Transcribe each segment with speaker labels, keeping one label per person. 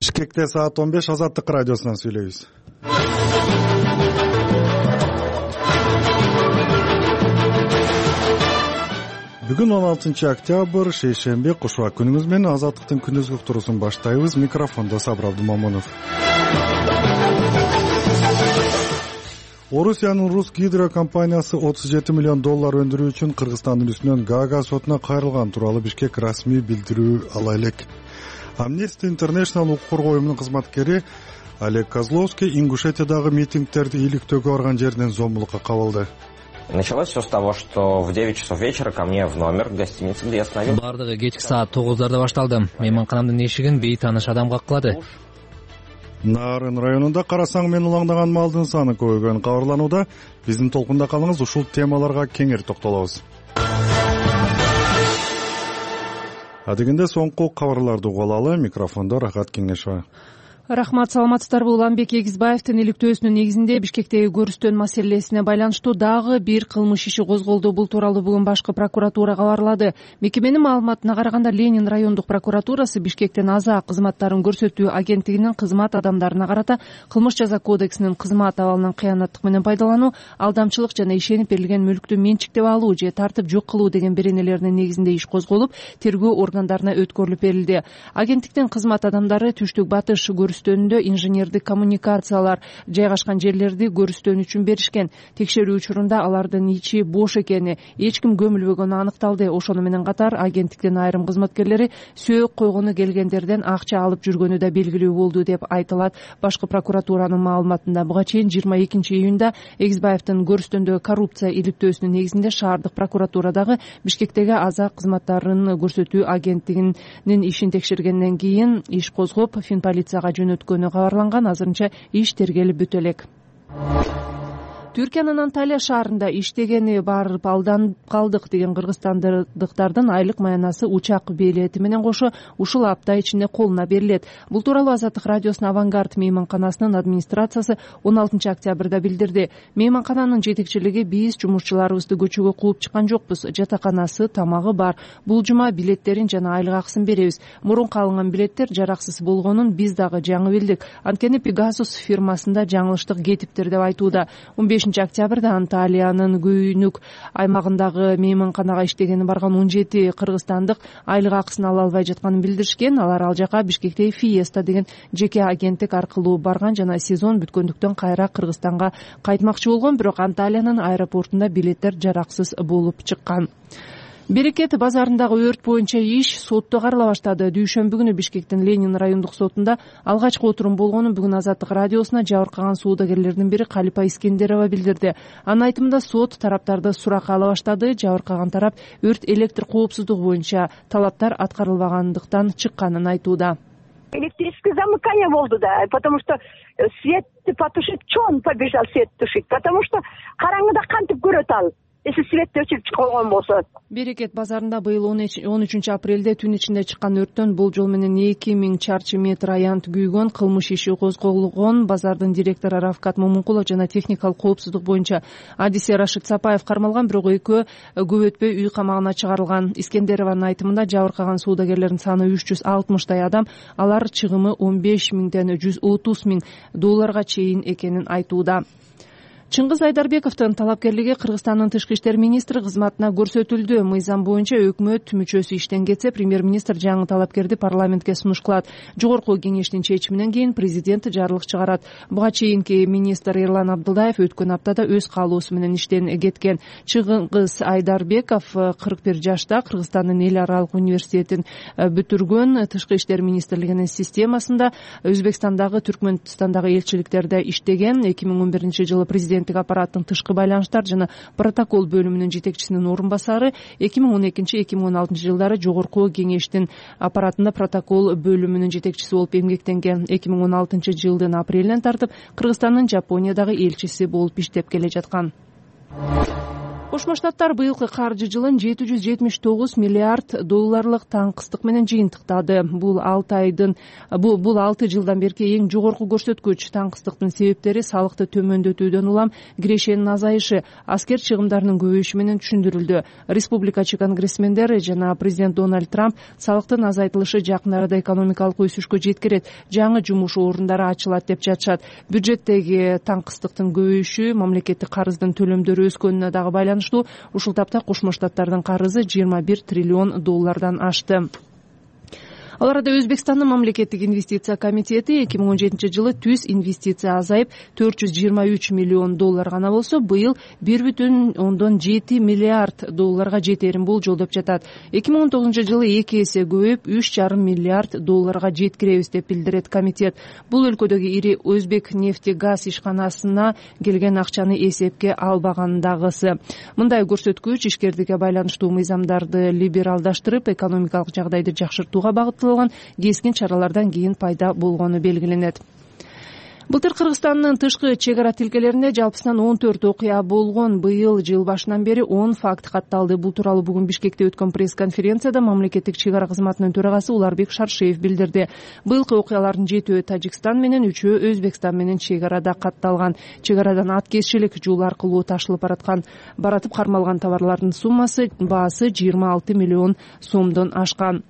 Speaker 1: Бишкекте саат 15 Азаттык радиосунан сүйлөйбүз. Бүгүн 16 октябрь, шейшемби, кушуа күнүңүз менен Азаттыктын күнүзгү уктуруусун баштайбыз. Микрофондо Сабыр Абдумамунов. Орусиянын Рус Гидро компаниясы $37 миллион өндүрүү үчүн Кыргызстандын үстүнөн Гаага сотуна кайрылган тууралуу Бишкек расмий билдирүү ала элек. Amnesty International укук коргоо уюмунун кызматкери Олег Козловский Ингушетиядагы митингдерди иликтөөгө барган жеринен зомбулукка кабылды.
Speaker 2: Началось все с того, что в 9 часов вечера ко мне в номер в гостинице, где я остановился.
Speaker 3: Бардыгы кечки саат 9:00 башталды. Мейманканамдын эшигин бейтааныш адам каккылады.
Speaker 1: Нарын районунда карасаң менен улаңдаган малдын саны көбөйгөнү кабарланууда. Биздин толкунда калыңыз, ушул темаларга кеңири токтолобуз. Адегенде соңку кабарларды угуп алалы. Микрофондо Рахат Кеңешова.
Speaker 4: Рахмат, саламатсыздарбы? Уланбек Эгизбаевдин иликтөөсүнүн негизинде Бишкектеги көрүстөн маселесине байланыштуу дагы бир кылмыш иши козголду. Бул тууралуу бүгүн башкы прокуратура кабарлады. Мекеменин маалыматына караганда, Ленин райондук прокуратурасы Бишкектен Аза кызматтарын көрсөтүү агенттигинин кызмат адамдарына карата кылмыш жаза кодексинин кызмат абалынан кыянаттык менен пайдалануу, алдамчылык жана ишенип берилген мүлктү менчиктеп алуу же тартып жок кылуу деген беренелеринин негизинде иш козголуп, тергөө органдарына өткөрүлүп берилди. Агенттиктин кызмат адамдары түштүк батыш көрүстөнүндө инженердик коммуникациялар жайгашкан жерлерди көрүстөн үчүн беришкен. Текшерүү учурунда алардын ичи бош экени, эч ким көмүлбөгөнү аныкталды. Ошону менен катар агенттиктин айрым кызматкерлери сөөк койгону келгендерден акча алып жүргөнү да белгилүү болду деп айтылат башкы прокуратуранын маалыматында. Буга чейин 22 июнда Эгизбаевдин көрүстөндөгү коррупция иликтөөсүнүн негизинде шаардык прокуратурадагы Бишкектеги Аза кызматтарын көрсөтүү агенттигинин ишин текшергенден кийин иш козгоп, Финполицияга жөнөткөнү кабарланган. Азырынча иш тергелип бүтө элек. Түркиянын Анталия шаарында иштегени барып алданып калдык деген кыргызстандыктардын айлык маянасы учак билети менен кошо ушул апта ичинде колуна берилет. Бул тууралуу Азаттык радиосунун Авангард мейманканасынын администрациясы 16 октябрда билдирди. Мейманкананын жетекчилиги: биз жумушчуларыбызды көчөгө кууп чыккан жокпуз. Жатаканасы, тамагы бар. Бул жума билеттерин жана айлык акысын беребиз. Мурунку алынган билеттер жараксыз болгонун биз дагы жаңы билдик. Анткени Pegasus фирмасында жаңылыштык кетиптир деп айтууда. 15 октябрда Анталиянын Күйнүк аймагындагы мейманканага иштегени барган 17 кыргызстандык айлык акысын ала албай жатканын билдиришкен. Алар ал жака Бишкектеги Fiesta деген жеке агенттик аркылуу барган жана сезон бүткөндүктөн кайра Кыргызстанга кайтмакчы болгон, бирок Анталиянын аэропортунда билеттер жараксыз болуп чыккан. Берекет базарындагы өрт боюнча иш сотто карала баштады. Дүйшөмбү күнү Бишкектин Ленин райондук сотунда алгачкы отурум болгонун бүгүн Азаттык радиосуна жабыркаган соодагерлердин бири Калипа Искендерова билдирди. Анын айтымында сот тараптарды суракка ала баштады. Жабыркаган тарап өрт электр коопсуздугу боюнча талаптар аткарылбагандыктан чыкканын айтууда.
Speaker 5: Электрическое замыкание болду, да, потому что свет потушить, чё он побежал свет тушить, потому что караңгыда кантип көрөт ал. Если свет өчүп чыккан болсо.
Speaker 4: Берекет базарында быйыл 13 апрелде түн ичинде чыккан өрттөн болжол менен 2000 чарчы метр аянт күйгөн, кылмыш иши козголгон. Базардын директору Рафкат Момункулов жана техникалык коопсуздук боюнча адиси Рашид Сапаев кармалган, бирок экөө көп өтпөй үй камагына чыгарылган. Искендерованын айтымында жабыркаган соодагерлердин саны 360 адам, алар чыгымы $15,000 $130,000 чейин экенин айтууда. Чыңгыз Айдарбековдун талапкерлиги Кыргызстандын тышкы иштер министри кызматына көрсөтүлдү. Мыйзам боюнча өкмөт мүчөсү иштен кетсе, премьер-министр жаңы талапкерди парламентке сунуш кылат. Жогорку кеңештин чечиминен кийин президент жарлык чыгарат. Буга чейинки министр Эрлан Абдылдаев өткөн аптада өз каалоосу менен иштен кеткен. Чыңгыз Айдарбеков 41 жашта, Кыргызстандын эл аралык университетин бүтүргөн. Тышкы иштер министрлигинин системасында Өзбекстандагы, Түркмөнстандагы элчиликтерде иштеген. 2011 жылы президент аппараттын тышкы байланыштар жана протокол бөлүмүнүн жетекчисинин орун басары, 2012-2016 жылдары жогорку кеңештин аппаратында протокол бөлүмүнүн жетекчиси болуп эмгектенген. 2016 жылдын апрелинен тартып Кыргызстандын Жапониядагы элчиси болуп иштеп келе жаткан. Кошмо Штаттар быйылкы каржы жылын 779 миллиард долларлык таңкыстык менен жыйынтыктады. Бул 6 жылдан берки эң жогорку көрсөткүч. Таңкыстыктын себептери салыкты төмөндөтүүдөн улам кирешенин азайышы, аскер чыгымдарынын көбөйүшү менен түшүндүрүлдү. Республикачы конгрессмендер жана президент Дональд Трамп салыктын азайтылышы жакын арада экономикалык өсүшкө жеткирет, жаңы жумуш орундары ачылат деп жатышат. Бюджеттеги таңкыстыктын көбөйүшү мамлекеттик карыздын төлөмдөрү өскөнүнө дагы байланыштуу. Ушул тапта Кошмо Штаттардын карызы 21 триллион доллардан ашты. Ал арада Өзбекстандын мамлекеттик инвестиция комитети 2017 жылы түз инвестиция азайып 423 миллион доллар гана болсо, быйыл 1,7 миллиард долларга жетерин болжолдоп жатат. 2019 жылы 2 эсе көбөйүп 3,5 миллиард долларга жеткиребиз деп билдирет комитет. Бул өлкөдөгү ири Өзбек нефти-газ ишканасына келген акчаны эсепке албагандагысы. Мындай көрсөткүч ишкердикке байланыштуу мыйзамдарды либералдаштырып, экономикалык жагдайды жакшыртууга багытталган кескин чаралардан кийин пайда болгону белгиленет. Былтыр Кыргызстандын тышкы чек ара тилкелеринде жалпысынан 14 окуя болгон. Быйыл жыл башынан бери 10 факт катталды. Бул тууралуу бүгүн Бишкекте өткөн пресс-конференцияда мамлекеттик чек ара кызматынын төрагасы Уларбек Шаршеев билдирди. Быйылкы окуялардын 7-өө Тажикстан менен, 3-өө Өзбекстан менен чек арада катталган. Чек арадан аткезчилик жол аркылуу ташылып баратып кармалган товарлардын суммасы, баасы 26 миллион сомдон ашкан.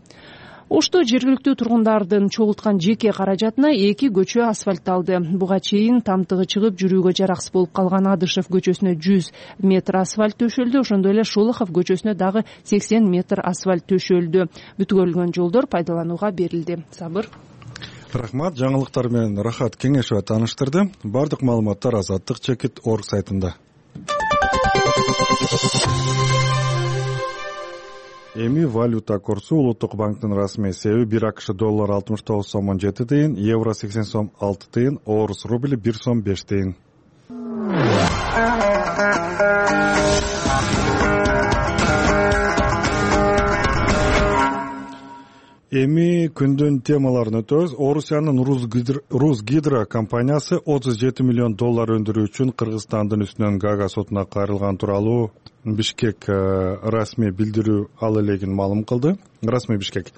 Speaker 4: Ошто жергиликтүү тургундардын чогулткан жеке каражатына 2 көчө асфальтталды. Буга чейин тамтыгы чыгып жүрүүгө жараксыз болуп калган Адышев көчөсүнө 100 метр асфальт төшөлдү. Ошондой эле Шолохов көчөсүнө дагы 80 метр асфальт төшөлдү. Бүткөрүлгөн жолдор пайдаланууга берилди. Сабыр.
Speaker 1: Рахмат, жаңылыктар менен Рахат Кеңешова тааныштырды. Бардык маалыматтар Азаттык чекит орг сайтында. Эми валюта курсу Улуттук банктын расмий эсеби 1 АКШ доллар 69 сом 17 тыйын, евро 80 сом 6 тыйын, орус рубли 1 сом 5 тыйын. Эми күндүн темаларын өтөбүз. Орусиянын Русгидро компаниясы 37 миллион доллар өндүрүү үчүн Кыргызстандын үстүнөн Гага сотуна кайрылган тууралуу Бишкек расмий билдирүү ал элегин маалым кылды. Расмий Бишкек.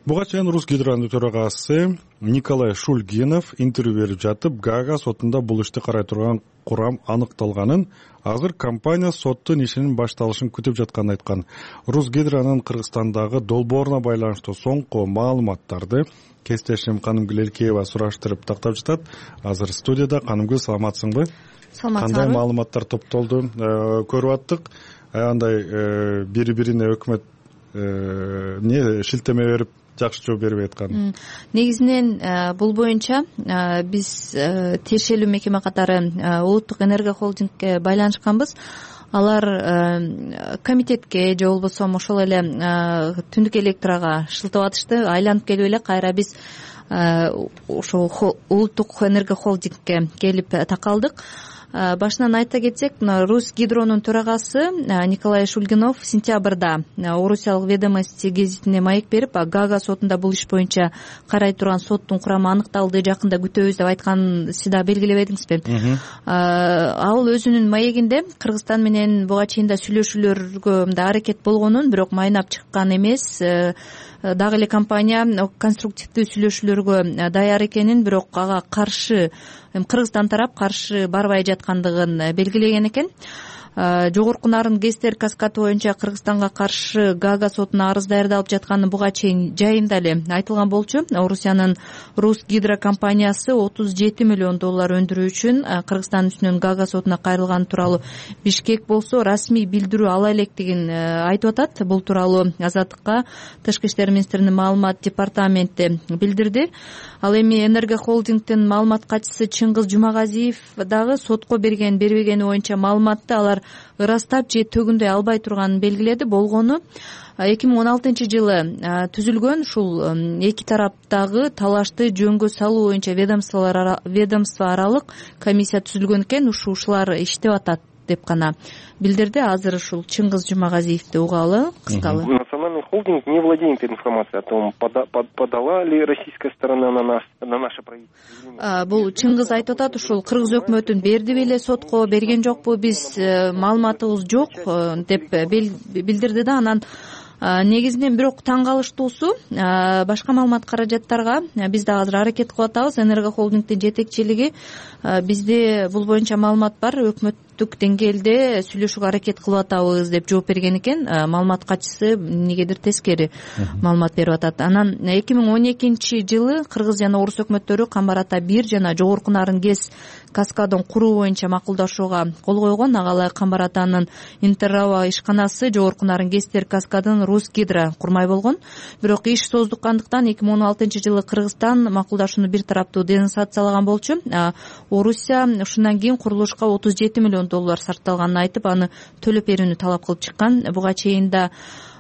Speaker 1: Буга чейин Русгидронун төрагасы Николай Шульгинов интервью берип жатып, Гага сотунда бул ишти карай турган курам аныкталганын, азыр компания соттун ишинин башталышын күтүп жатканын айткан. Русгидронун Кыргызстандагы долбооруна байланыштуу соңку маалыматтарды кесиптешим Канымгүл Элкеева сураштырып тактап жатат. Азыр студияда. Канымгүл, саламатсыңбы?
Speaker 6: Саламатсызбы.
Speaker 1: Кандай маалыматтар топтолду көрүп аттык? Андай бири-бирине өкмөт шилтеме берип жакшы жооп бербей аткан.
Speaker 6: Негизинен бул боюнча биз тиешелүү мекеме катары Улуттук энергия холдингке байланышканбыз. Алар комитетке же болбосо ошол эле түндүк электрага шылтап атышты. Айланып келип эле кайра биз ошол Улуттук энергия холдингке келип такалдык. Башынан айта кетсек, Русгидронун төрагасы Николай Шульгинов сентябрда Орусиялык ведомости гезитине маек берип, Гага сотунда бул иш боюнча карай турган соттун курамы аныкталды, жакында күтөбүз деп айтканын сиз да белгилебедиңизби? Ал өзүнүн маегинде Кыргызстан менен буга чейин да сүйлөшүүлөргө аракет болгонун, бирок майнап чыккан эмес. Дагы эле компания конструктивдүү сүйлөшүүлөргө даяр экенин, бирок ага каршы Кыргызстан тарап каршы барбай жаткандыгын белгилеген экен. Жогорку нарын ГЭСтер каскаты боюнча Кыргызстанга каршы Гага сотуна арыз даярдалып жатканы буга чейин жайында эле айтылган болчу. Орусиянын Русгидро компаниясы 37 миллион доллар өндүрүү үчүн Кыргызстан үстүнөн Гага сотуна кайрылган тууралуу Бишкек болсо расмий билдирүү ала электигин айтып атат. Бул тууралуу Азаттыкка Тышкы иштер министринин маалымат департаменти билдирди. Ал эми Энергия холдингдин маалымат катчысы Чыңгыз Жумагазиев дагы сотко бербегени боюнча маалыматты алар ырастап же төгүндөй албай турганын белгиледи. Болгону 2016 жылы түзүлгөн ушул эки тараптагы талашты жөнгө салуу боюнча ведомство аралык комиссия түзүлгөн экен. Ушулар иштеп атат деп гана билдирди. Азыр ушул Чыңгыз Жумагазиевди угалы кыскалы.
Speaker 7: На национальный Энергохолдинг не владеет информацией о том, подала ли российская сторона на наше правительство.
Speaker 6: Бул Чыңгыз айтып атат, ушул кыргыз өкмөтүн бердиби эле сотко, берген жокпу, биз маалыматыбыз жок деп билдирди да. Анан негизинен бирок таң калыштуусу башка маалымат каражаттарга биз да азыр аракет кылып атабыз. Энергохолдингдин жетекчилиги бизде бул боюнча маалымат бар, өкмөттүк деңгээлде сүйлөшүүгө аракет кылып атабыз деп жооп берген экен. Маалымат катчысы эмнегедир тескери маалымат берип атат. Анан 2012-жылы кыргыз жана орус өкмөттөрү Камбар Ата 1 жана Жогорку Нарын ГЭС каскадын куруу боюнча макулдашууга кол койгон. Ага ылайык Камбар Атанын Интерраба ишканасы Жогорку Нарын ГЭСтер каскадын Русгидро курмай болгон. Бирок иш создуккандыктан 2016-жылы Кыргызстан макулдашууну бир тараптуу денонсациялаган болчу. Орусия ушундан кийин курулушка $37 миллион сарпталганын айтып, аны төлөп берүүнү талап кылып чыккан. Буга чейин да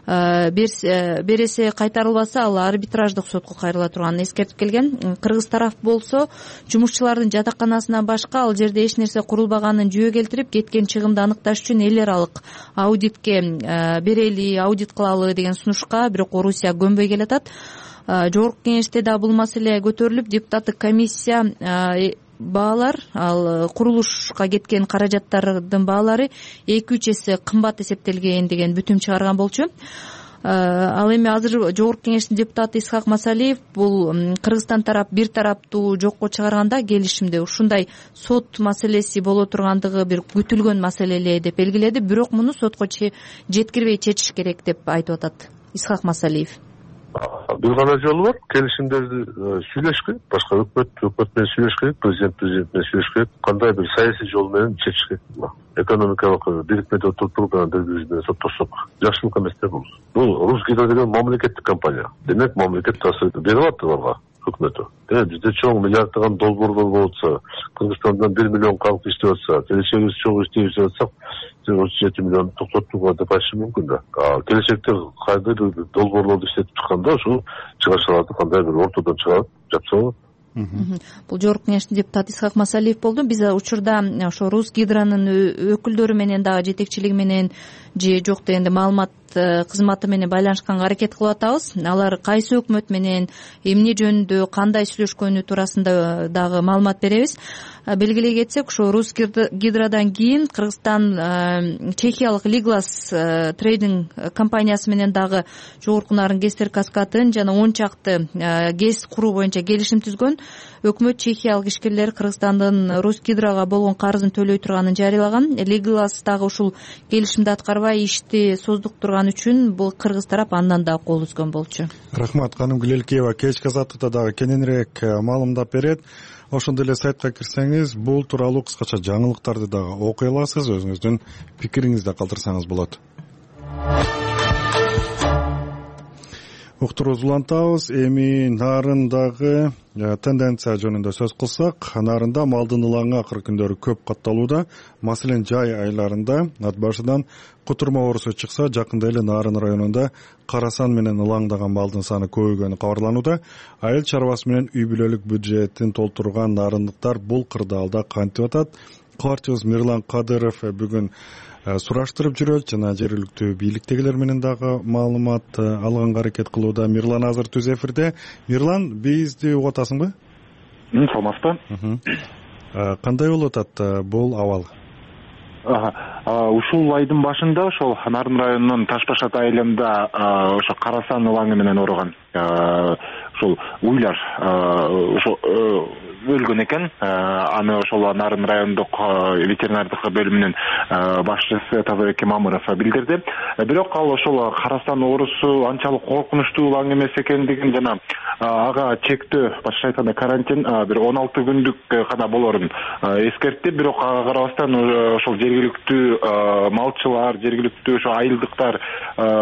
Speaker 6: бересе кайтарылбаса ал арбитраждык сотко кайрыла турганын эскертип келген. Кыргыз тараф болсо жумушчулардын жатаканасынан башка ал жерде эч нерсе курулбаганын жүйө келтирип, кеткен чыгымды аныкташ үчүн эл аралык аудитке берели, аудит кылалы деген сунушка бирок Орусия көнбөй келатат. Жогорку кеңеште да бул маселе көтөрүлүп, депутаттык комиссия баалар, ал курулушка кеткен каражаттардын баалары 2-3 эсе кымбат эсептелген деген бүтүм чыгарган болчу. Ал эми азыр Жогорку кеңештин депутаты Исхак Масалиев бул Кыргызстан тарап бир тараптуу жокко чыгарганда келишимде ушундай сот маселеси боло тургандыгы бир күтүлгөн маселе эле деп белгиледи. Бирок муну сотко жеткирбей чечиш керек деп айтып атат Исхак Масалиев.
Speaker 8: Бир гана жолу бар, келишимдерди сүйлөш керек, башка өкмөт менен сүйлөш керек, президент менен сүйлөш керек, кандай бир саясий жол менен чечиш керек. Экономикалык бирикмеде отуруп бири-бири менен соттошсок жакшылык эмес да бул. Бул Русгидро деген мамлекеттик компания. Демек мамлекет таасир берип атты аларга өкмөтү. Бизде чоң миллиарддаган долбоорлор болуп атса, Кыргызстандан 1 миллион калк иштеп атса, келечегибиз чоң иштеп атсак, 37 миллион токтотууга деп айтышы мүмкүн да. Келечекте кайдыр долбоорлорду иштетип чыкканда ушул чыгашаларды кандай бир ортодон чыгарып жапса болот.
Speaker 6: Бул Жогорку кеңештин депутаты Исхак Масалиев болду. Биз учурда ошо Русгидронун өкүлдөрү менен дагы жетекчилиги менен же жок дегенде маалымат кызматы менен байланышканга аракет кылып атабыз. Алар кайсы өкмөт менен эмне жөнүндө кандай сүйлөшкөнү туурасында дагы маалымат беребиз. Белгилей кетсек, ошо Русгидродан кийин Кыргызстан чехиялык Liglas трейдинг компаниясы менен дагы Жогорку Нарын ГЭСтер каскадын жана 10 чакты ГЭС куруу боюнча келишим түзгөн. Өкмөт чехиялык ишкерлер Кыргызстандын Русгидрога болгон карызын төлөй турганын жарыялаган. Liglas дагы ушул келишимди аткарбай ишти создуктурган үчүн бул кыргыз тарап андан да кол үзгөн болчу.
Speaker 1: Рахмат, Каным Гүлелкеева кечки азаттыкта дагы кененирээк маалымдап берет. Ошондой эле сайтка кирсеңиз, бул тууралуу кыскача жаңылыктарды дагы окуй аласыз, өзүңүздүн пикириңизди калтырсаңыз болот. Уктуруубузду улантабыз. Эми Нарындагы тенденция жөнүндө сөз кылсак, Нарында малдын ылаңы акыркы күндөрү көп катталууда. Маселен, жай айларында ат башыдан кутурма оорусу чыкса, жакында эле Нарын районунда карасан менен ылаңдаган малдын саны көбөйгөнү кабарланууда. Айыл чарбасы менен үй бүлөлүк бюджетин толтурган нарындыктар бул кырдаалда кантип атат? Картиус Мирлан Кадыров бүгүн сураштырып жүрөт жана жергиликтүү бийликтегилер менен дагы маалымат алганга аракет кылууда. Мирлан азыр түз эфирде. Мирлан, бизди угуп атасыңбы?
Speaker 9: Саламатсызбы?
Speaker 1: Кандай болуп атат бул абал?
Speaker 9: Ушул айдын башында ошол Нарын районунун Таш Башат айылында ошо карасан ылаңы менен ооруган ошол уйлар ошо өлгөн экен. Аны ошол Нарын райондук ветеринардык бөлүмүнүн башчысы Тазабек Мамыров билдирди. Бирок ал ошол карасан оорусу анчалык коркунучтуу ылаң эмес экендигин жана ага чектөө, башкача айтканда карантин бир 16 күндүк гана болорун эскертти. Бирок ага карабастан ошол жергиликтүү малчылар, жергиликтүү ошо айылдыктар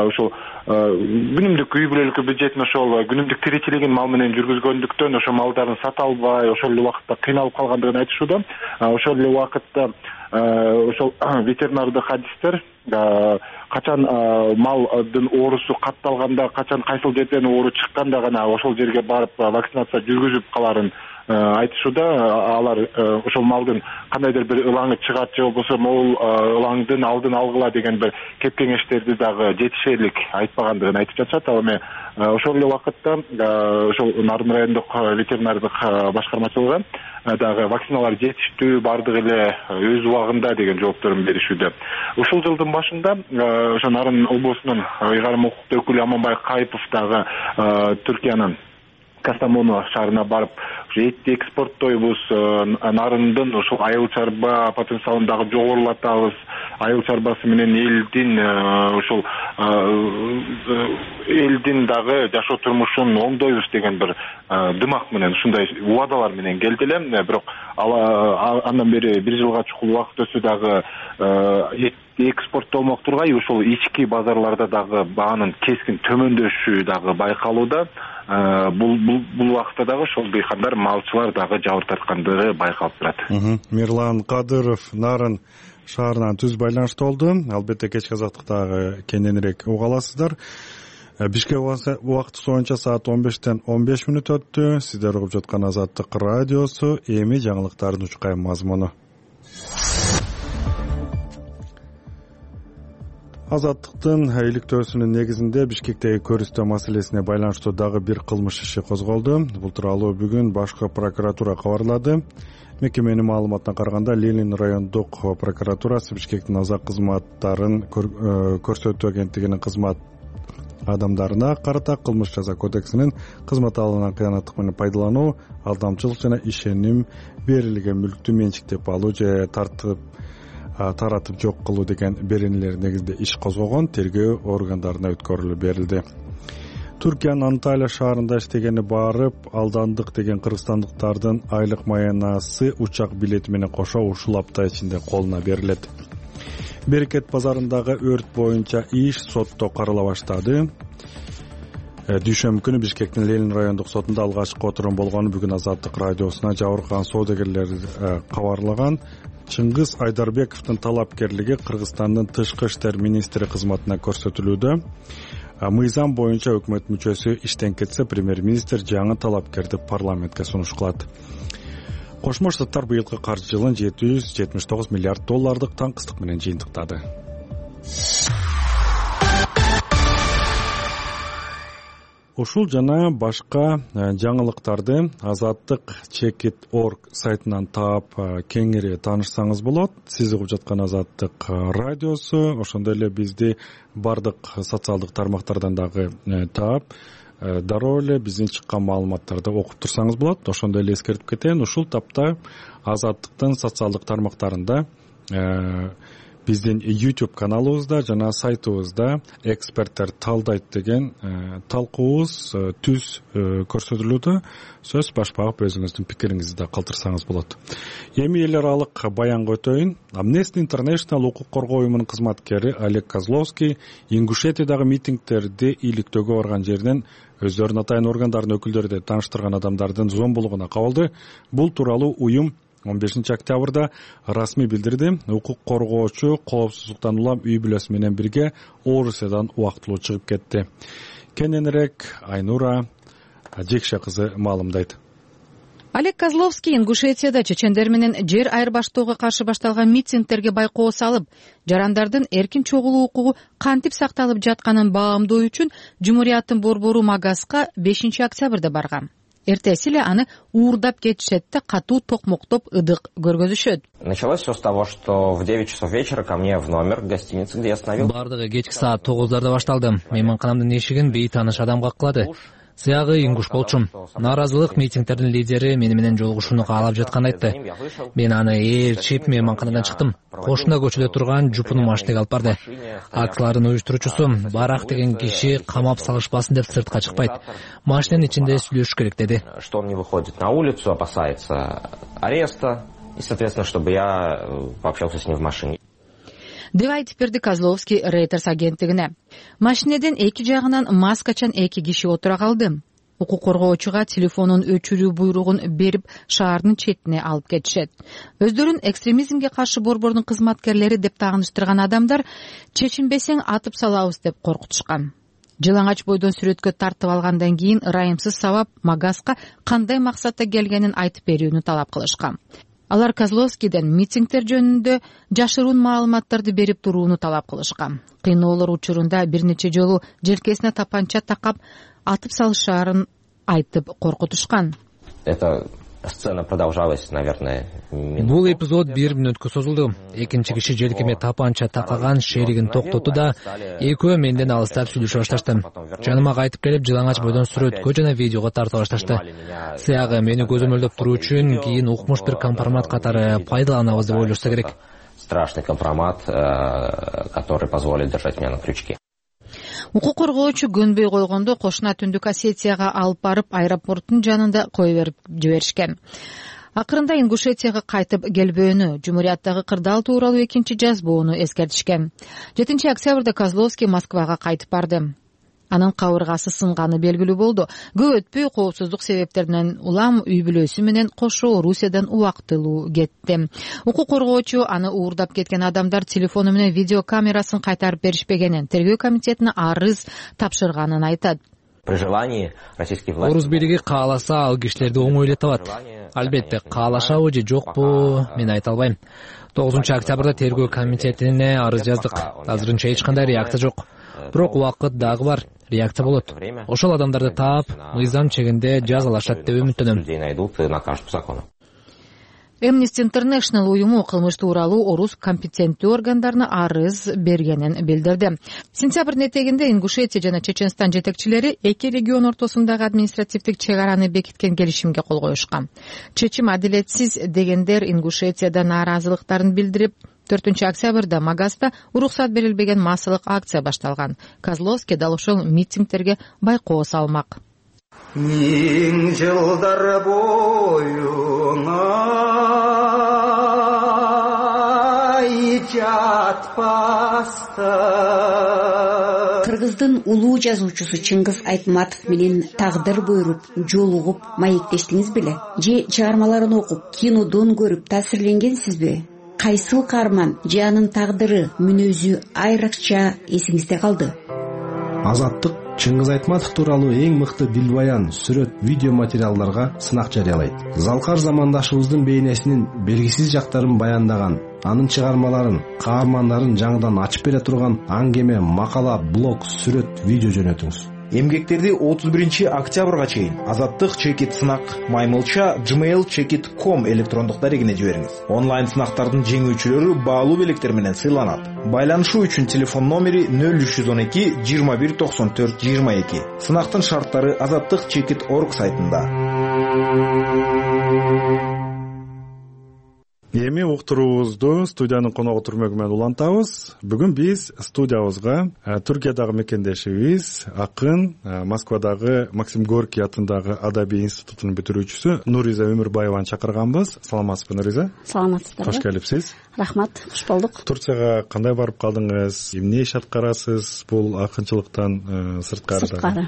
Speaker 9: ошол күнүмдүк үй бүлөлүк бюджетин ошол күнүмдүк тиричилигин мал менен жүргүзгөндүктөн ошол малдарын сата албай, ошол эле убакытта кыйналып калгандыгын айтышууда. Ошол эле убакытта ошол ветеринардык адистер качан малдын оорусу катталганда, качан кайсыл жерден оору чыкканда гана ошол жерге барып вакцинация жүргүзүп каларын айтышууда. Алар ошол малдын кандайдыр бир ылаңы чыгат же болбосо могул ылаңдын алдын алгыла деген бир кеп кеңештерди дагы жетишерлик айтпагандыгын айтып жатышат. Ал эми ошол эле убакытта ошол Нарын райондук ветеринардык башкармачылыгы дагы вакциналар жетиштүү, бардыгы эле өз убагында деген жоопторун беришүүдө. Ушул жылдын башында ошо Нарын облусунун ыйгарым укуктуу өкүлү Аманбай Кайыпов дагы Түркиянын Кастамону шаарына барып, этти экспорттойбуз, нарындын ушул айыл чарба потенциалын дагы жогорулатабыз, айыл чарбасы менен элдин дагы жашоо турмушун оңдойбуз деген бир дымак менен, ушундай убадалар менен келди эле. Бирок андан бери 1 жылга чукул убакыт өтсө дагы экспорттолмок тургай, ушул ички базарларда дагы баанын кескин төмөндөшүшү дагы байкалууда. Бул убакытта дагы ошол дыйкандар, малчылар дагы жабыр тарткандыгы байкалып турат.
Speaker 1: Мирлан Кадыров Нарын шаарынан түз байланышта болду. Албетте кечки азаттыктагы кененирээк уга аласыздар. Бишкек убакыты боюнча саат 15-тен 15 мүнөт өттү. Сиздер угуп жаткан Азаттык радиосу. Эми жаңылыктардын учкай мазмуну. Азаттыктын иликтөөсүнүн негизинде Бишкектеги көрүстөө маселесине байланыштуу дагы бир кылмыш иши козголду. Бул тууралуу бүгүн башкы прокуратура кабарлады. Мекеменин маалыматына караганда, Ленин райондук прокуратурасы Бишкектин азак кызматтарын көрсөтүү агенттигинин кызмат адамдарына карата кылмыш жаза кодексинин кызмат алымынан кыянаттык менен пайдалануу, алдамчылык жана ишеним берилген мүлктү менчиктеп алуу же таратып жок кылуу деген беренелер негизинде иш козгогон. Тергөө органдарына өткөрүлүп берилди. Түркиянын Анталия шаарында иштегени барып, алдандык деген кыргызстандыктардын айлык маянасы учак билети менен кошо ушул апта ичинде колуна берилет. Берекет базарындагы өрт боюнча иш сотто карала баштады. Дүйшөмбү күнү Бишкектин Ленин райондук сотунда алгачкы отурум болгону бүгүн Азаттык радиосуна жабыркаган соодагерлер кабарлаган. Чыңгыз Айдарбековдун талапкерлиги Кыргызстандын тышкы иштер министри кызматына көрсөтүлүүдө. Мыйзам боюнча өкмөт мүчөсү иштен кетсе, премьер-министр жаңы талапкерди парламентке сунуш кылат. Кошмо Штаттар быйылкы каржы жылын $779 миллиард таңкыстык менен жыйынтыктады. Ушул жана башка жаңылыктарды Азаттык.org сайтынан таап кеңири таанышсаңыз болот. Сиз угуп жаткан Азаттык радиосу, ошондой эле бизди бардык социалдык тармактардан дагы таап, дароо эле биздин чыккан маалыматтарды окуп турсаңыз болот. Ошондой эле эскертип кетейин, ушул тапта Азаттыктын социалдык тармактарында биздин YouTube каналыбызда жана сайтыбызда эксперттер талдайт деген талкуубуз түз көрсөтүлүүдө. Сөз баш багып өзүңүздүн пикириңизди да калтырсаңыз болот. Эми эл аралык баянга өтөйүн. Amnesty International укук коргоо уюмунун кызматкери Олег Козловский Ингушетиядагы митингтерди иликтөөгө барган жерден өздөрүнүн атайын органдарынын өкүлдөрү деп тааныштырган адамдардын зомбулугуна кабылды. Бул тууралуу уюм 15 октябрда расмий билдирди. Укук коргоочу коопсуздуктан улам үй бүлөсү менен бирге Орусиядан убактылуу чыгып кетти. Кененирээк Айнура Жекше кызы маалымдайт.
Speaker 10: Олег Козловский Ингушетияда чечендер менен жер айырбаштоого каршы башталган митингтерге байкоо салып, жарандардын эркин чогулуу укугу кантип сакталып жатканын баамдоо үчүн Жумурияттын борбору Магаска 5 октябрда барган. Эртеси эле аны уурдап кетишет да катуу токмоктоп ыдык көргөзүшөт.
Speaker 2: Началось все с того, что в 9 часов вечера ко мне в номер гостиницы, где я остановился.
Speaker 3: Бардыгы кечки саат 9-дарда башталды. Мейманканамдын эшигин бейтааныш адам каккылады. Сыягы Ингуш болчумун. Нааразылык митингтердин лидери мени менен жолугушууну каалап жатканын айтты. Мен аны ээрчип мейманканадан чыктым. Кошуна көчөдө турган жупуну машинеге алып барды. Акциялардын уюштуруучусу Барак деген киши камап салышпасын деп сыртка чыкпайт. Машиненин ичинде сүйлөшүш керек деди.
Speaker 2: Что он не выходит на улицу, опасается ареста, и, соответственно, чтобы я пообщался с ним в машине.
Speaker 10: Деп айтып берди Козловский Reuters агенттигине. Машинеден эки жагынан маскачан эки киши отура калды. Укук коргоочуга телефонун өчүрүү буйругун берип, шаардын четине алып кетишет. Өздөрүн экстремизмге каршы борбордун кызматкерлери деп тааныштырган адамдар чечинбесең атып салабыз деп коркутушкан. Жалаңач бойдон сүрөткө тартып алгандан кийин ырайымсыз сабап Магаска кандай максатта келгенин айтып берүүнү талап кылышкан. Алар Козловскийден митингдер жөнүндө жашыруун маалыматтарды берип турууну талап кылышкан. Кыйноолор учурунда бир нече жолу желкесине тапанча такап атып салышаарын айтып коркутушкан.
Speaker 2: Эта сцена продолжалась, наверное,
Speaker 3: Бул эпизод 1 мүнөткө созулду. Экинчи киши желкеме тапанча такаган шеригин токтоту да экөө менден алыстап сүйлөшө башташты. Жаныма кайтып келип, жалаңач бойдон сүрөткө жана видеого тарта башташты. Сыягы мени көзөмөлдөп туруу үчүн кийин укмуш бир компромат катары пайдаланабыз деп ойлошсо керек.
Speaker 2: Страшный компромат, который позволит держать меня на крючке.
Speaker 10: Укук коргоочу көнбөй койгондо кошуна Түндүк Осетияга алып барып аэропорттун жанында кое берип жиберишкен. Акырында Ингушетияга кайтып келбөөнү, Жумурияттагы кырдаал тууралуу экинчи жазбоону эскертишкен. 7 октябрда Козловский Москвага кайтып барды. Анын кабыргасы сынганы белгилүү болду. Көп өтпөй коопсуздук себептеринен улам үй бүлөсү менен кошо Орусиядан убактылуу кетти. Укук коргоочу аны уурдап кеткен адамдар телефону менен видео камерасын кайтарып беришпегенин, тергөө комитетине арыз тапшырганын айтат.
Speaker 2: При желании российские власти...
Speaker 3: Орус бийлиги кааласа ал кишилерди оңой эле табат. Албетте, каалашабы же жокпу, мен айта албайм. 9 октябрда тергөө комитетине арыз жаздык. Азырынча эч кандай реакция жок. Бирок убакыт дагы бар, реакция болот. Ошол адамдарды таап, мыйзам чегинде жазалашат деп үмүттөнөм.
Speaker 10: Amnesty International уюму кылмыш тууралуу орус компетенттүү органдарына арыз бергенин билдирди. Сентябрдын этегинде Ингушетия жана Чеченстан жетекчилери эки регион ортосундагы административдик чек араны бекиткен келишимге кол коюшкан. Чечим адилетсиз дегендер Ингушетияда нааразылыктарын билдирип, 4 октябрда Магаста уруксат берилбеген массалык акция башталган. Козловский дал ошол митингдерге байкоо салмак.
Speaker 11: Миң жылдар боюңа жатпасты.
Speaker 12: Кыргыздын улуу жазуучусу Чыңгыз Айтматов менен тагдыр буйруп, жолугуп маектештиңиз беле? Же чыгармаларын окуп, кинодон көрүп таасирленгенсизби? Кайсыл каарман же анын тагдыры, мүнөзү айрыкча эсиңизде калды?
Speaker 13: Азаттык Чыңгыз Айтматов тууралуу эң мыкты дилбаян, сүрөт, видео материалдарга сынак жарыялайт. Залкар замандашыбыздын бейнесинин белгисиз жактарын баяндаган, анын чыгармаларын, каармандарын жаңыдан ачып бере турган аңгеме, макала, блог, сүрөт, видео жөнөтүңүз.
Speaker 14: Эмгектерди 31 октябрга чейин Азаттык чекит сынак маймылча gmail.com электрондук дарегине жибериңиз. Онлайн сынактардын жеңүүчүлөрү баалуу белектер менен сыйланат. Байланышуу үчүн телефон номери 0312 21 94 22. Сынактын шарттары azattikchekit.org сайтында.
Speaker 1: Эми уктуруубузду студиянын коногу Түрмөгү менен улантабыз. Бүгүн биз студиябызга Түркиядагы мекендешибиз, акын, Москвадагы Максим Горький атындагы Адабий институтунун бүтүрүүчүсү Нуриза Өмүрбаеваны чакырганбыз. Саламатсызбы, Нуриза?
Speaker 15: Саламатсыздарбы.
Speaker 1: Кош келипсиз.
Speaker 15: Рахмат, кош болдук.
Speaker 1: Турцияга кандай барып калдыңыз? Эмне иш аткарасыз бул акынчылыктан сырткары?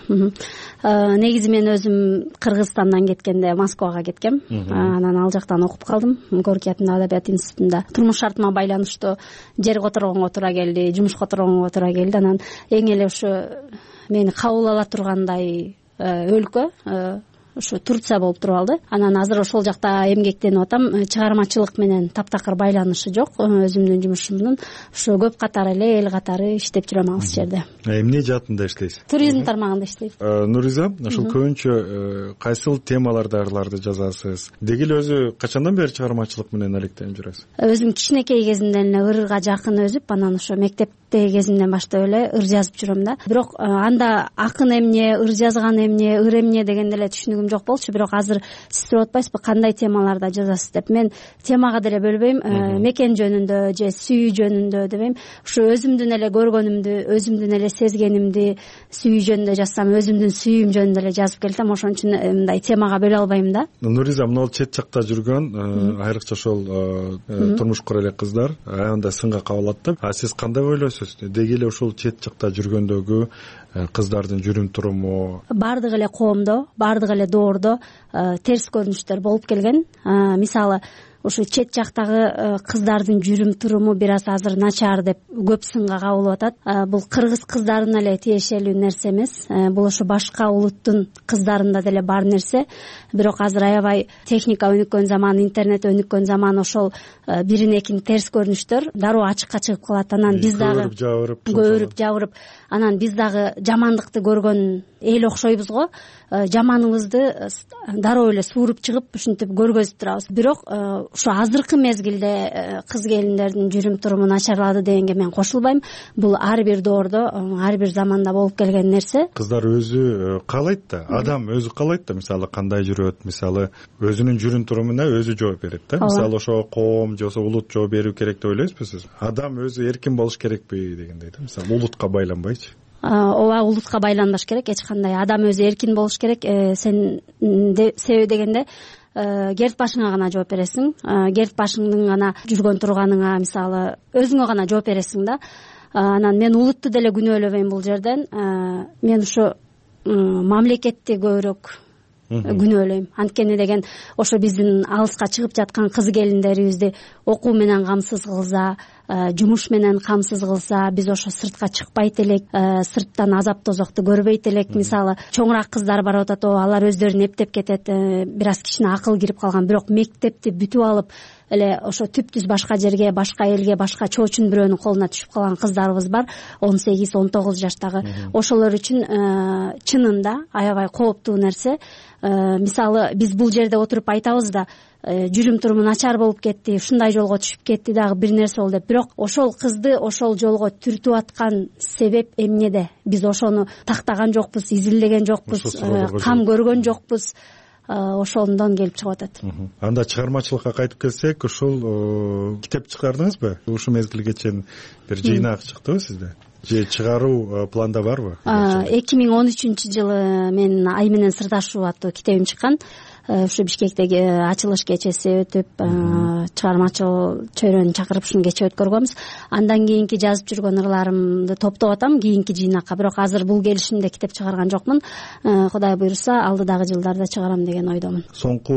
Speaker 15: Негизи мен өзүм Кыргызстандан кеткенде Москвага кеткем. Анан ал жактан окуп калдым. Горький атындагы Адабият институтунда. Турмуш шартыма байланыштуу жер которгонго туура келди, жумуш которгонго туура келди. Анан эң эле ушу мени кабыл ала тургандай өлкө ушу Турция болуп туруп алды. Анан азыр ошол жакта эмгектенип атам. Чыгармачылык менен таптакыр байланышы жок. Өзүмдүн жумушумдун ушу көп катары эле эл катары иштеп жүрөм ал жерде.
Speaker 1: Эмне жаатында иштейсиз?
Speaker 15: Туризм тармагында иштейм.
Speaker 1: Нуриза, ошол көбүнчө кайсыл темаларды ырларды жазасыз? Деги эле өзү качандан бери чыгармачылык менен алектенип жүрөсүз?
Speaker 15: Өзүм кичинекей кезимден эле ырга жакын өсүп, анан ошо мектепте кезимден баштап эле ыр жазып жүрөм да. Бирок анда акын эмне, ыр жазган эмне, ыр эмне дегенде эле түшүнүгүм жок болчу. Бирок азыр сиз сурап атпайсызбы кандай темаларда жазасыз деп. Мен темага деле бөлбөйм. Мекен жөнүндө же сүйүү жөнүндө дебейм. Ушу өзүмдүн эле көргөнүмдү, өзүмдүн эле сезгенимди сүйүү жөнүндө жазсам, өзүмдүн сүйүүм жөнүндө эле жазып келсем, ошон үчүн мындай темага бөлө албайм да.
Speaker 1: Нуриза, мына чет жакта жүргөн, айрыкча ошол турмуш кура элек кыздар аябындай сынга кабылат да. Сиз кандай ойлойсуз? Деги эле ошол чет жакта жүргөндөгү кыздардын жүрүм туруму
Speaker 15: баардык эле коомдо, баардык эле доордо терс көрүнүштөр болуп келген. Мисалы, ушу чет жактагы кыздардын жүрүм туруму бир аз азыр начар деп көп сынга кабылып атат. Бул кыргыз кыздарына эле тиешелүү нерсе эмес, бул ошо башка улуттун кыздарында деле бар нерсе. Бирок азыр аябай техника өнүккөн заман, интернет өнүккөн заман, ошол бирин экин терс көрүнүштөр дароо ачыкка чыгып калат. Анан биз дагы көбүрүп жабырып, анан биз дагы жамандыкты көргөн эл окшойбуз го. Жаманыбызды дароо эле сууруп чыгып ушинтип көргөзүп турабыз. Бирок ушу азыркы мезгилде кыз келиндердин жүрүм туруму начарлады дегенге мен кошулбайм. Бул ар бир доордо, ар бир заманда болуп келген нерсе.
Speaker 1: Кыздар өзү каалайт да, адам өзү каалайт да, мисалы кандай жүрөт, мисалы өзүнүн жүрүм турумуна өзү жооп берет да. Мисалы ошо коом же улут жооп берүү керек деп ойлойсузбу сиз? Адам өзү эркин болуш керекпи дегендей да. Мисалы улутка байланбайчы.
Speaker 15: Ооба, улутка байланбаш керек, эч кандай. Адам өзү эркин болуш керек. Сен себеби дегенде керт башыңа гана жооп бересиң. Керт башыңдын гана жүргөн турганыңа, мисалы өзүңө гана жооп бересиң да. Анан мен улутту деле күнөөлөбөйм бул жерден. Мен ушу мамлекетти көбүрөөк күнөөлөйм. Анткени деген ошо биздин алыска чыгып жаткан кыз келиндерибизди окуу менен камсыз кылса, жумуш менен камсыз кылса, биз ошо сыртка чыкпайт элек, сырттан азап тозокту көрбөйт элек. Мисалы чоңураак кыздар барып атат, алар өздөрүн эптеп кетет, бир аз кичине акыл кирип калган, бирок мектепти бүтүп алып эле ошо түптүз башка жерге, башка элге, башка чоочун бирөөнүн колуна түшүп калган кыздарыбыз бар, 18-19 жаштагы. Ошолор үчүн чынында аябай кооптуу нерсе. Мисалы биз бул жерде отуруп айтабыз да, жүрүм туруму начар болуп кетти, ушундай жолго түшүп кетти дагы бир нерсе болду деп. Бирок ошол кызды ошол жолго түртүп аткан себеп эмнеде? Биз ошону тактаган жокпуз, изилдеген жокпуз, кам көргөн жокпуз. Ошондон келип чыгып атат.
Speaker 1: Анда чыгармачылыкка кайтып келсек, ушул китеп чыгардыңызбы? Ушул мезгилге чейин бир жыйнак чыктыбы сизде? Же чыгаруу планда барбы?
Speaker 15: 2013-жылы мен Ай менен сырдашуу аттуу китебим чыккан. Ушу Бишкектеги ачылыш кечеси өтүп, чыгармачыл чөйрөнү чакырып ушуну кече өткөргөнбүз. Андан кийинки жазып жүргөн ырларымды топтоп атам кийинки жыйнакка. Бирок азыр бул келишимде китеп чыгарган жокмун. Кудай буйруса, алдыдагы жылдарда чыгарам деген ойдомун.
Speaker 1: Соңку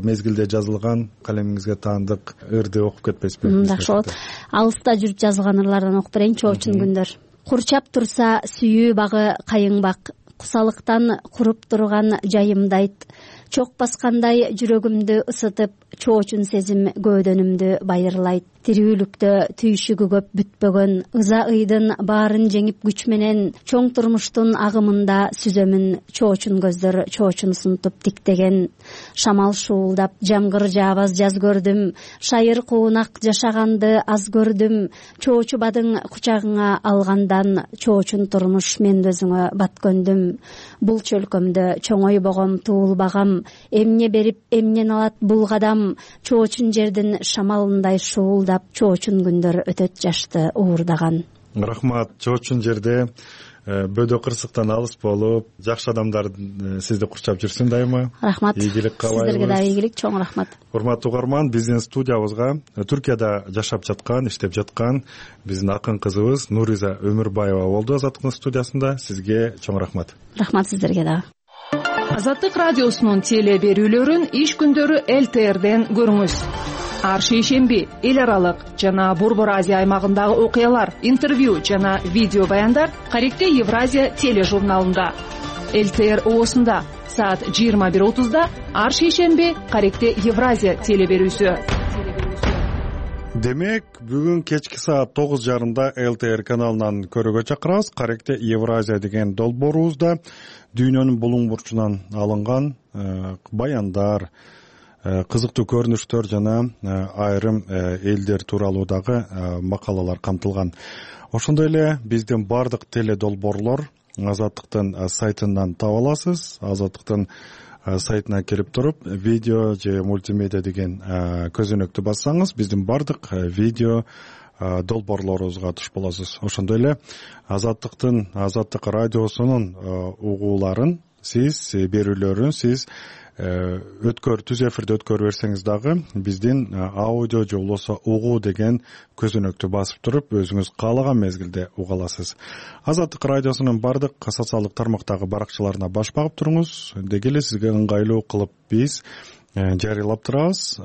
Speaker 1: мезгилде жазылган калемиңизге таандык ырды окуп кетпейсизби?
Speaker 15: Жакшы болот. Алыста жүрүп жазылган ырлардан окуп берейин. Чоочун күндөр. Курчап турса сүйүү багы кайыңбак, кусалыктан куруп турган жайымдайт. Чок баскандай жүрөгүмдү ысытып, чоочун сезим көөдөнүмдү байырлайт. Тирүүлүктө түйшүгү көп бүтпөгөн, ыза ыйдын баарын жеңип күч менен, чоң турмуштун агымында сүзөмүн чоочун көздөр, чоочун сунтуп тиктеген. Шамал шуулдап, жамгыр жаабаз жаз көрдүм, шайыр куунак жашаганды аз көрдүм. Чоочу бадың кучагыңа алгандан, чоочун турмуш мен өзүңө бат көндүм. Бул чөлкөмдө чоңойбогом туулбагам, эмне берип эмнен алат бул кадам. Чоочун жердин шамалындай шуулдап, чоочун күндөр өтөт жашты уурдаган.
Speaker 1: Рахмат. Чоочун жерде бөдө кырсыктан алыс болуп, жакшы адамдар сизди курчап жүрсүн дайыма.
Speaker 15: Рахмат.
Speaker 1: Ийгилик каалайбыз.
Speaker 15: Сиздерге да ийгилик, чоң рахмат.
Speaker 1: Урматтуу угарман, биздин студиябызга Түркияда жашап жаткан, иштеп жаткан биздин акын кызыбыз Нуриза Өмүрбаева болду Азаттыктын студиясында. Сизге чоң рахмат.
Speaker 15: Рахмат сиздерге да.
Speaker 4: Азаттык радиосунун теле берүүлөрүн иш күндөрү ЛТРден көрүңүз. Ар шейшемби эл аралык жана Борбор Азия аймагындагы окуялар, интервью жана видео баяндар Каректе Евразия тележурналында. ЛТР ООсунда саат 21:30 ар шейшемби Каректе Евразия теле берүүсү.
Speaker 1: Демек, бүгүн кечки саат 9:30 ЛТР каналынан көрүүгө чакырабыз. Каректе Евразия деген долбоорубузда дүйнөнүн булуң бурчунан алынган баяндар, кызыктуу көрүнүштөр жана айрым элдер тууралуу дагы макалалар камтылган. Ошондой эле биздин бардык теле долбоорлор Азаттыктын сайтынан таба аласыз. Азаттыктын сайтына кирип туруп, видео же мультимедиа деген көзөнөктү бассаңыз, биздин бардык видео долбоорлорубузга туш болосуз. Ошондой эле Азаттык радиосунун угууларын сиз, берүүлөрүн сиз түз эфирде өткөрүп берсеңиз дагы биздин аудио же болбосо угуу деген көзөнөктү басып туруп, өзүңүз каалаган мезгилде уга аласыз. Азаттык радиосунун бардык социалдык тармактагы баракчаларына баш багып туруңуз. Деги эле сизге ыңгайлуу кылып биз жарыялап турабыз.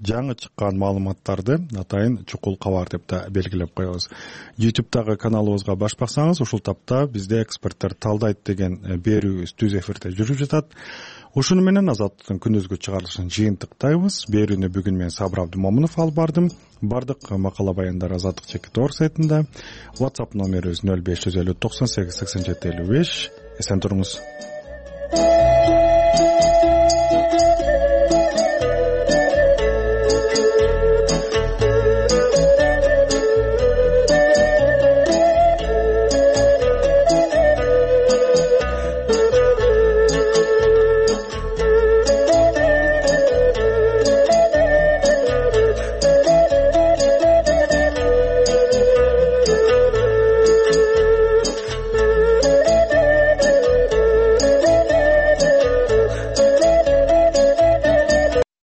Speaker 1: жаңы чыккан маалыматтарды атайын чукул кабар деп да белгилеп коебуз. YouTube'дагы каналыбызга баш баксаңыз, ушул тапта бизде эксперттер талдайт деген берүүбүз түз эфирде жүрүп жатат. Ушуну менен Азаттыктын күнүзгү чыгарылышын жыйынтыктайбыз. Берүүнү бүгүн мен Сабыр Абдымомунов алып бардым. Бардык макала баяндар Азаттык Чекит.org сайтында. WhatsApp номерибиз 0550 98 87 55. Эсен туруңуз.